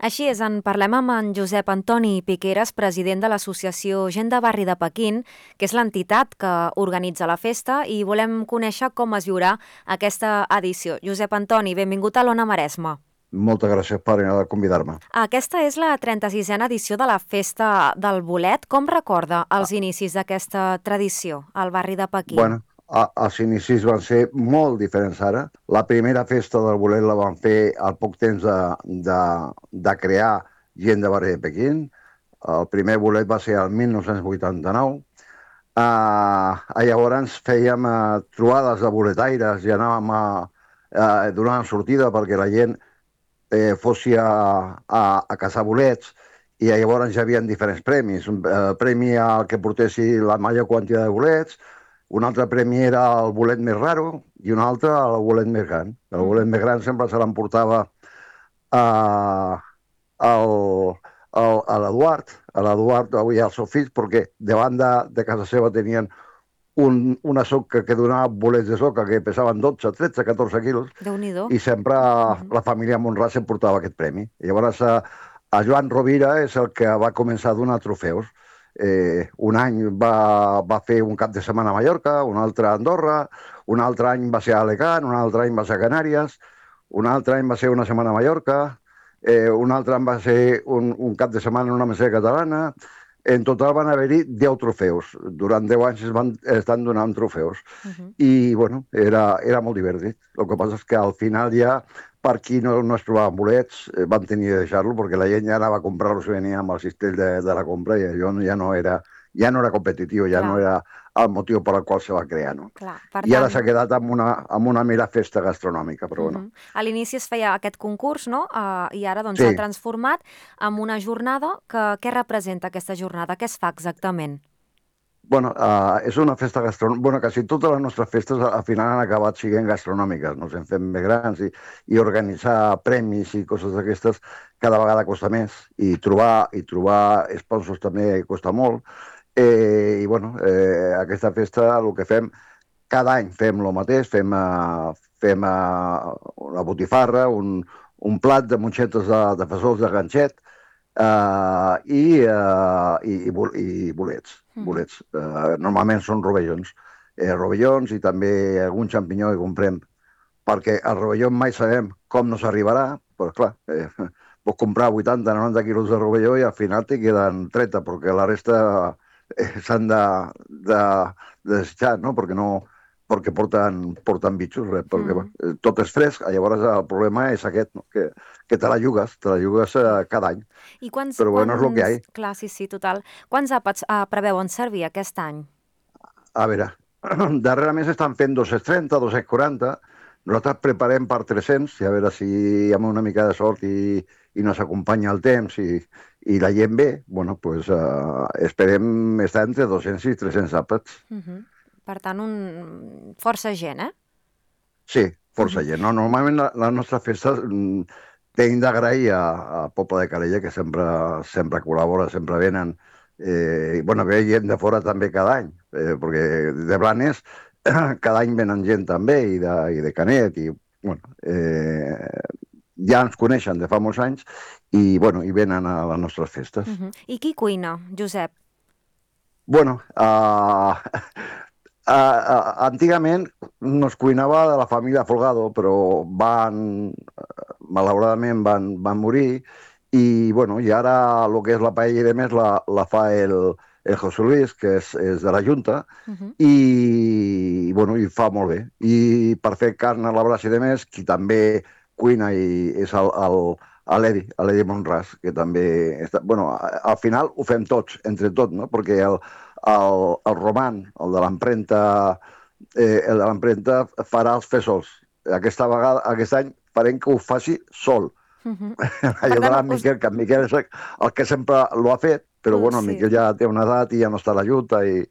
Així és, en parlem amb en Josep Antoni Piqueras, president de l'Associació Gent de Barri de Pequín, que és l'entitat que organitza la festa, i volem conèixer com es viurà aquesta edició. Josep Antoni, benvingut a l'Ona Maresma. Moltes gràcies per convidar-me. Aquesta és la 36a edició de la Festa del Bolet. Com recorda els inicis d'aquesta tradició al barri de Pequín? Bueno, els inicis van ser molt diferents ara. La primera festa del bolet la van fer al poc temps de crear Gent de Barri de Pequín. El primer bolet va ser el 1989. Llavors fèiem trobades de boletaires i anàvem donant sortida perquè la gent fossi a caçar bolets, i llavors hi havia diferents premis. Un premi al que portessi la major quantitat de bolets, un altre premi era el bolet més raro i un altre el bolet més gran. El bolet més gran sempre se l'emportava a l'Eduard, avui als seus fills, perquè davant de casa seva tenien una soca que donava bolets de soca que pesaven 12, 13, 14 quilos, Déu-n'hi-do. i sempre la família Monràs s'emportava aquest premi. Llavors, a Joan Rovira és el que va començar a donar trofeus. Un any va fer un cap de setmana a Mallorca, un altre a Andorra, un altre any va ser a Alacant, un altre any va ser a Canàries, un altre any va ser una setmana a Mallorca, un altre any va ser un cap de setmana en una meseta catalana. En total van haver-hi 10 trofeus. Durant 10 anys estan donant trofeus. I, bueno, era molt divertit. El que passa és que al final ja, per qui no es trobaven bolets, vam tenir de deixar-lo, perquè la gent ja anava a comprar-los i venia amb el cistell de la compra, i allò ja no era competitiu, ja no era el motiu per al qual se va crear, no? Clar, per I ara tant... s'ha quedat amb una mera festa gastronòmica, però bueno. A l'inici es feia aquest concurs, no? I ara doncs Sí. s'ha transformat en una jornada què representa aquesta jornada? Què es fa exactament? Bueno, és una festa gastronòmica. Bueno, quasi totes les nostres festes al final han acabat sent gastronòmiques. Ens hem fet més grans i organitzar premis i coses d'aquestes cada vegada costa més. I trobar sponsors també costa molt. I, bueno, aquesta festa, el que fem, cada any fem el mateix, fem una botifarra, un plat de monxetes de fesols de ganxet, i bolets. Normalment són rovellons. Rovellons i també algun xampinyó que comprem, perquè al rovelló mai sabem com nos arribarà, però clar, pots comprar 80-90 quilos de rovelló i al final te queden 30, perquè la resta s'han de desitjar, no? Perquè porten bitxos, perquè tot és fresc. Llavors el problema és aquest, no? Que te la jugues cada any. I quants... Però bueno, és el que hi ha. Clar, sí, total. Quants àpats preveuen servir aquest any? A veure, darrerament s'estan fent 230, 240. Nosaltres preparem per 300, i a veure si amb una mica de sort i nos acompanya el temps i la gent ve, bueno, pues, esperem estar entre 200 i 300 àpats. Per tant, força gent, eh? Sí, força gent. No, normalment les nostres festes tenim d'agrair a Poble de Calella, que sempre col·labora, sempre venen. I, bueno, ve gent de fora també cada any, perquè de Blanes cada any venen gent també, i de Canet, i, bueno, ja ens coneixen de fa molts anys, i, bueno, i venen a les nostres festes. I qui cuina, Josep? Bueno, antigament no es cuinava de la família Folgado, però malauradament van morir, i, bueno, i ara el que és la paella i de més la fa el José Luis, que és de la Junta, i, bueno, i fa molt bé. I per fer carn a la brasa i de més, qui també cuina és l'Edi Monràs, que també està... Bueno, al final ho fem tots, entre tots, no? Perquè el Roman, el de l'empremta, farà els fesols. Aquest any farem que ho faci sol. Ayudar a Miquel, que en Miquel és el que sempre l'ho ha fet, però bueno, el Miquel ja té una edat i ja no està a la lluita i...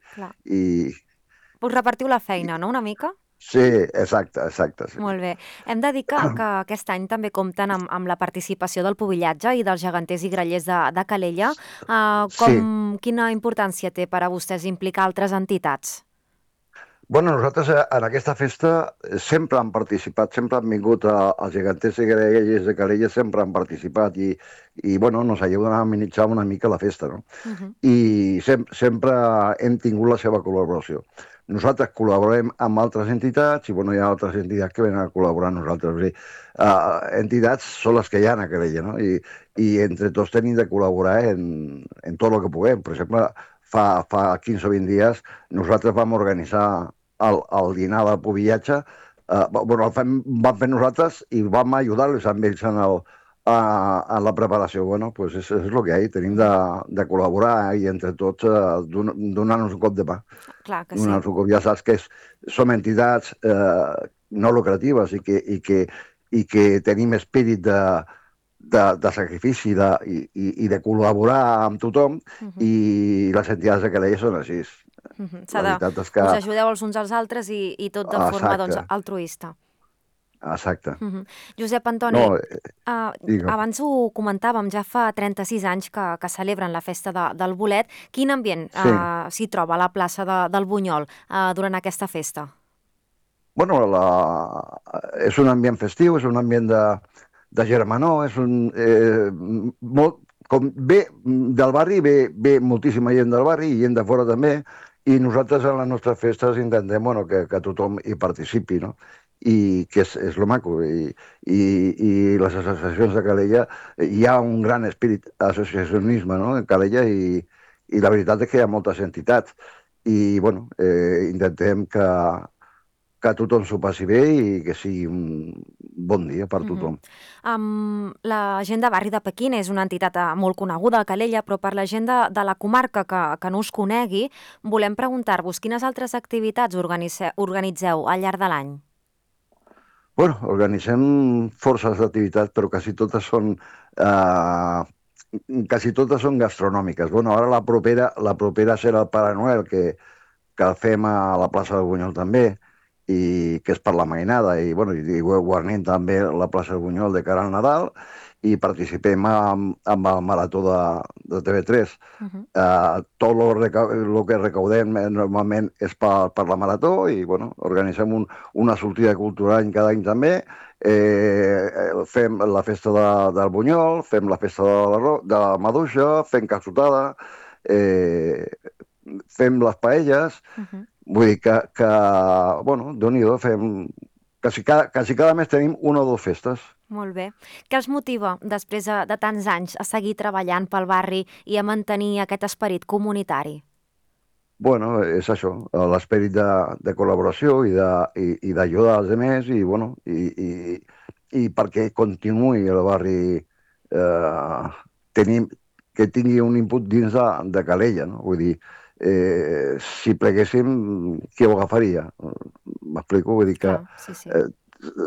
Us repartiu la feina, no?, una mica? Sí, exacte. Sí. Molt bé. Hem de dir que aquest any també compten amb la participació del pubillatge i dels geganters i grallers de Calella. Sí. Quina importància té per a vostès implicar altres entitats? Bueno, nosaltres en aquesta festa sempre han participat, sempre han vingut els geganters i greguers de Calella, sempre han participat bueno, nos ajuden a amenitzar una mica la festa, no? Mhm. I sempre hem tingut la seva col·laboració. Nosaltres col·laborem amb altres entitats i bueno, hi ha altres entitats que venen a col·laborar amb nosaltres. O sigui, entitats són les que hi ha a Calella, no? I entre tots tenim de col·laborar en tot el que puguem. Per exemple, fa 15 o 20 dies nosaltres vam organitzar el dinar del pubillatge, bueno, vam fer nosaltres i vam ajudar-los amb ells en la preparació. Bueno, pues és el que hi ha, tenim de col·laborar i entre tots donar-nos un cop de mà. Clar que sí. Donar-nos un cop, ja saps que som entitats no lucratives i que tenim espírit de sacrifici i de col·laborar amb tothom Mhm. i les entitats de Calella són així. Mhm. La veritat és que... Us ajudeu els uns als altres i tot de forma, doncs, Exacte, altruista. exacte. Mhm. Josep Antoni, No, digue'm. abans ho comentàvem, ja fa 36 anys que celebren la festa del bolet. Quin ambient Sí. s'hi troba a la plaça del Bunyol durant aquesta festa? Bueno, és un ambient festiu, és un ambient de germanor, és un... molt, com ve del barri, ve moltíssima gent del barri i gent de fora també, i nosaltres en les nostres festes intentem bueno, que tothom hi participi, no? I que és lo maco. I les associacions de Calella, hi ha un gran espírit associacionisme, no?, en Calella, i la veritat és que hi ha moltes entitats. I, bueno, intentem que tothom s'ho passi bé i que sigui un bon dia per Mhm. tothom. La gent de Barri de Pequín és una entitat molt coneguda a Calella, però per la gent de la comarca que no us conegui, volem preguntar-vos quines altres activitats organitzeu al llarg de l'any? Bueno, organitzem forces d'activitats, però eh, quasi totes són gastronòmiques. Bueno, ara la propera serà el Pare Noel, que el fem a la plaça del Bunyol també, i que és per la mainada, i, bueno, i guarnim també la plaça del Bunyol de cara al Nadal, i participem amb el Marató de TV3. Mhm. Tot el que recaudem normalment és per la Marató i, bueno, organitzem una sortida cultural cada any també. Fem la festa del Bunyol, fem la festa de la Maduixa, fem calçotada, eh, fem les paelles. Mhm. Vull dir bueno, Déu-n'hi-do, fem... Quasi cada mes tenim una o dues festes. Molt bé. Què els motiva, després de tants anys, a seguir treballant pel barri i a mantenir aquest esperit comunitari? Bueno, és això, l'esperit de col·laboració i d'ajudar als altres i, bueno, i perquè continuï el barri tenim, que tingui un input dins de Calella, no? Vull dir, si pleguéssim, qui ho agafaria? M'explico? Vull dir que Clar, sí, sí.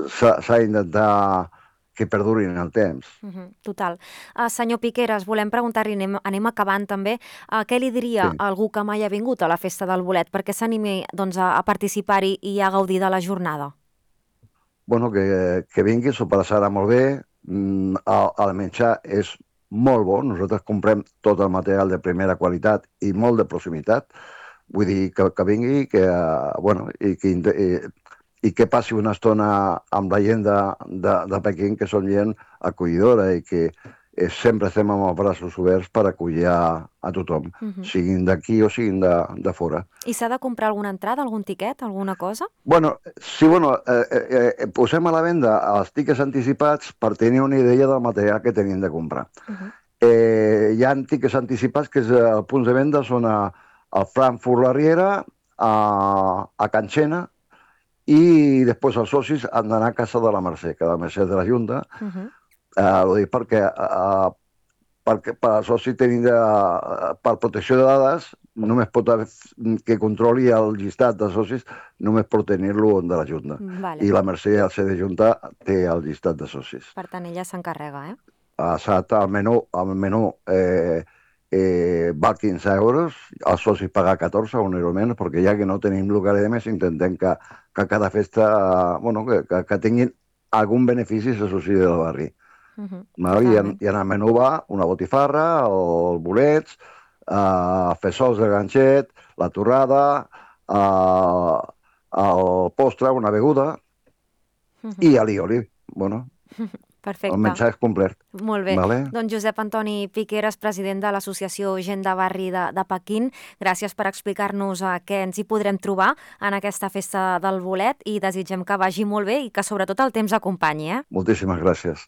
s'ha d'intentar que perdurin el temps. Total. Senyor Piqueras, volem preguntar-li, anem acabant també, què li diria Sí. a algú que mai ha vingut a la festa del bolet perquè s'animi doncs, a participar-hi i a gaudir de la jornada? Bueno, que vingui, s'ho passarà molt bé, el menjar és molt bo, nosaltres comprem tot el material de primera qualitat i molt de proximitat, vull dir que vingui bueno, i que passi una estona amb la gent de Pequín, que són gent acollidora i que sempre estem amb els braços oberts per acollir a tothom, Mhm. siguin d'aquí o siguin de fora. I s'ha de comprar alguna entrada, algun tiquet, alguna cosa? Bueno, sí, bueno, posem a la venda els tiquets anticipats per tenir una idea del material que tenim de comprar. Mhm. Hi ha tiquets anticipats que els punts de venda són a Frankfurt la Riera, a Can Xena, i després els socis han d'anar a Casa de la Mercè, que la Mercè és de la Junta. Mhm. Ho dic perquè per al soci tenim per protecció de dades, només pot haver, que controli el llistat de socis, només pot tenir-lo de la Junta. Vale. I la Mercè, al ser de Junta, té el llistat de socis. Per tant, ella s'encarrega, eh? El menú val 15 euros, els socis pagar 14, un euro menys, perquè ja que no tenim local de més, intentem que cada festa, bueno, que tinguin algun benefici els socis del barri. Val? Totalment. I en el menú va una botifarra, els bolets, fesols de ganxet, la torrada, el postre, una beguda i alioli. Bueno, el Perfecte. menjar és complet. Molt bé. Vale? Doncs Josep Antoni Piqueras, president de l'Associació Gent de Barri de Pequín, gràcies per explicar-nos què ens hi podrem trobar en aquesta festa del bolet i desitgem que vagi molt bé i que sobretot el temps acompanyi. Moltíssimes gràcies.